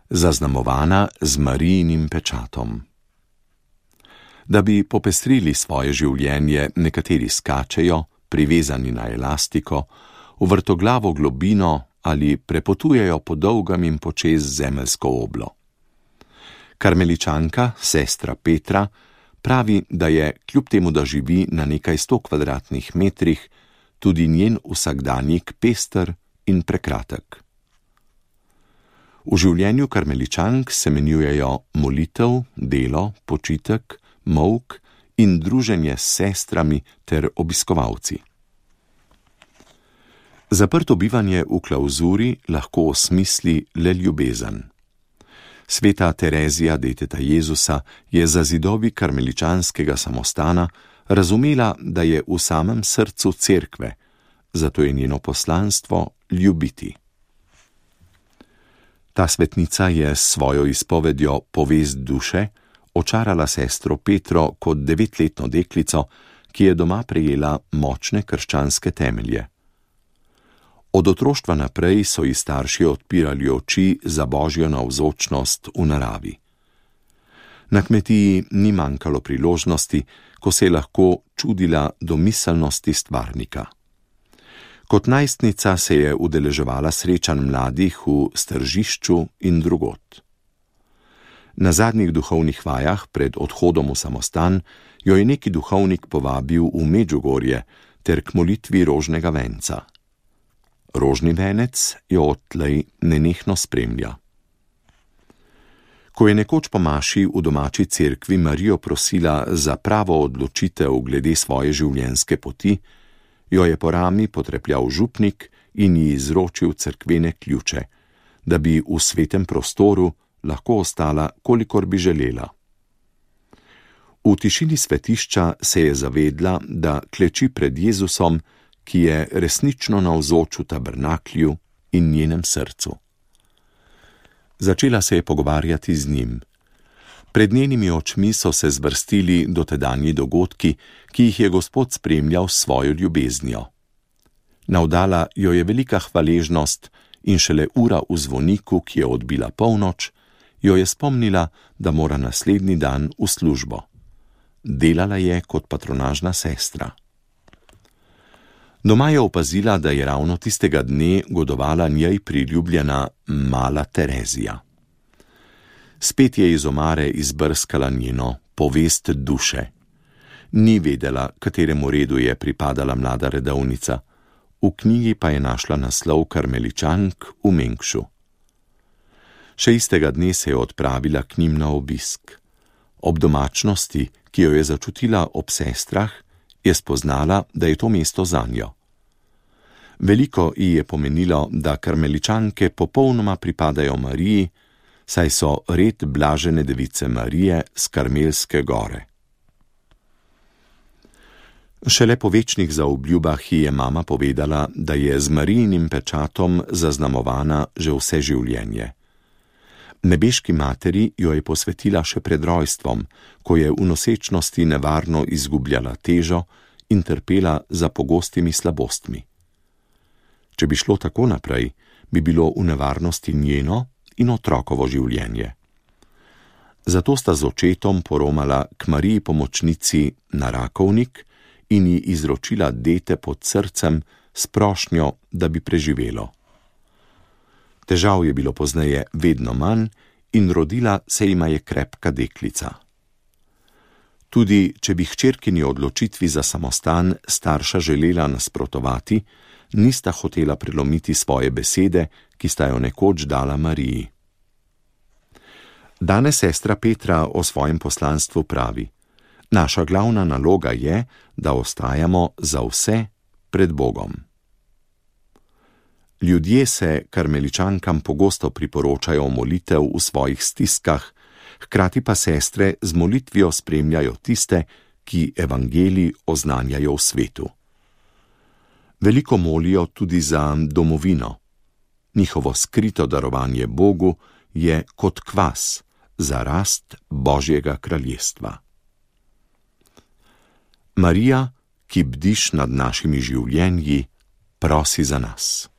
zaznamovana z Marijinim pečatom. Da bi popestrili svoje življenje, nekateri skačejo, privezani na elastiko, v vrtoglavo globino ali prepotujejo po dolgem in počez zemeljsko oblo. Karmeličanka, sestra Petra, pravi, da je, kljub temu, da živi na nekaj 100 kvadratnih metrih, tudi njen vsakdanjik pester in prekratek. V življenju karmeličank se menjujejo molitev, delo, počitek, molk in druženje s sestrami ter obiskovalci. Zaprto bivanje v klavzuri lahko osmisli le ljubezen. Sveta Terezija, deteta Jezusa, je za zidovi karmeličanskega samostana razumela, da je v samem srcu cerkve, zato je njeno poslanstvo ljubiti. Ta svetnica je s svojo izpovedjo Povest duše očarala sestro Petro kot 9-letno deklico, ki je doma prejela močne krščanske temelje. Od otroštva naprej so ji starši odpirali oči za Božjo navzočnost v naravi. Na kmetiji ni manjkalo priložnosti, ko se je lahko čudila domiselnosti stvarnika. Kot najstnica se je udeleževala srečanj mladih v Stržišču in drugod. Na zadnjih duhovnih vajah pred odhodom v samostan jo je neki duhovnik povabil v Medžugorje ter k molitvi rožnega venca. Rožni venec jo odtlej nenehno spremlja. Ko je nekoč po maši v domači cerkvi Marijo prosila za pravo odločitev glede svoje življenjske poti, jo je po rami potrepljal župnik in ji izročil cerkvene ključe, da bi v svetem prostoru lahko ostala, kolikor bi želela. V tišini svetišča se je zavedla, da kleči pred Jezusom, ki je resnično navzoč v tabernaklju in njenem srcu. Začela se je pogovarjati z njim. Pred njenimi očmi so se zvrstili dotedanji dogodki, ki jih je Gospod spremljal s svojo ljubeznijo. Navdala jo je velika hvaležnost in šele ura v zvoniku, ki je odbila polnoč, jo je spomnila, da mora naslednji dan v službo. Delala je kot patronažna sestra. Doma je opazila, da je ravno tistega dne godovala njej priljubljena mala Terezija. Spet je iz omare izbrskala njeno Povest duše. Ni vedela, kateremu redu je pripadala mlada redovnica, v knjigi pa je našla naslov Karmeličank v Mengšu. Še istega dne se je odpravila k njim na obisk. Ob domačnosti, ki jo je začutila ob sestrah, je spoznala, da je to mesto zanjo. Veliko ji je pomenilo, da karmeličanke popolnoma pripadajo Mariji, saj so red blažene device Marije s Karmelske gore. Šele po večnih zaobljubah ji je mama povedala, da je z Marijinim pečatom zaznamovana že vse življenje. Nebeški materi jo je posvetila še pred rojstvom, ko je v nosečnosti nevarno izgubljala težo in trpela za pogostimi slabostmi. Če bi šlo tako naprej, bi bilo v nevarnosti njeno in otrokovo življenje. Zato sta z očetom poromala k Mariji pomočnici na Rakovnik in ji izročila dete pod srcem s prošnjo, da bi preživelo. Težav je bilo pozneje vedno manj in rodila se jima je krepka deklica. Tudi če bi hčerkini odločitvi za samostan starša želela nasprotovati, nista hotela prelomiti svoje besede, ki sta jo nekoč dala Mariji. Danes sestra Petra o svojem poslanstvu pravi: naša glavna naloga je, da ostajamo za vse pred Bogom. Ljudje se karmeličankam pogosto priporočajo molitev v svojih stiskah, hkrati pa sestre z molitvijo spremljajo tiste, ki evangelij oznanjajo v svetu. Veliko molijo tudi za domovino. Njihovo skrito darovanje Bogu je kot kvas za rast Božjega kraljestva. Marija, ki bdiš nad našimi življenji, prosi za nas.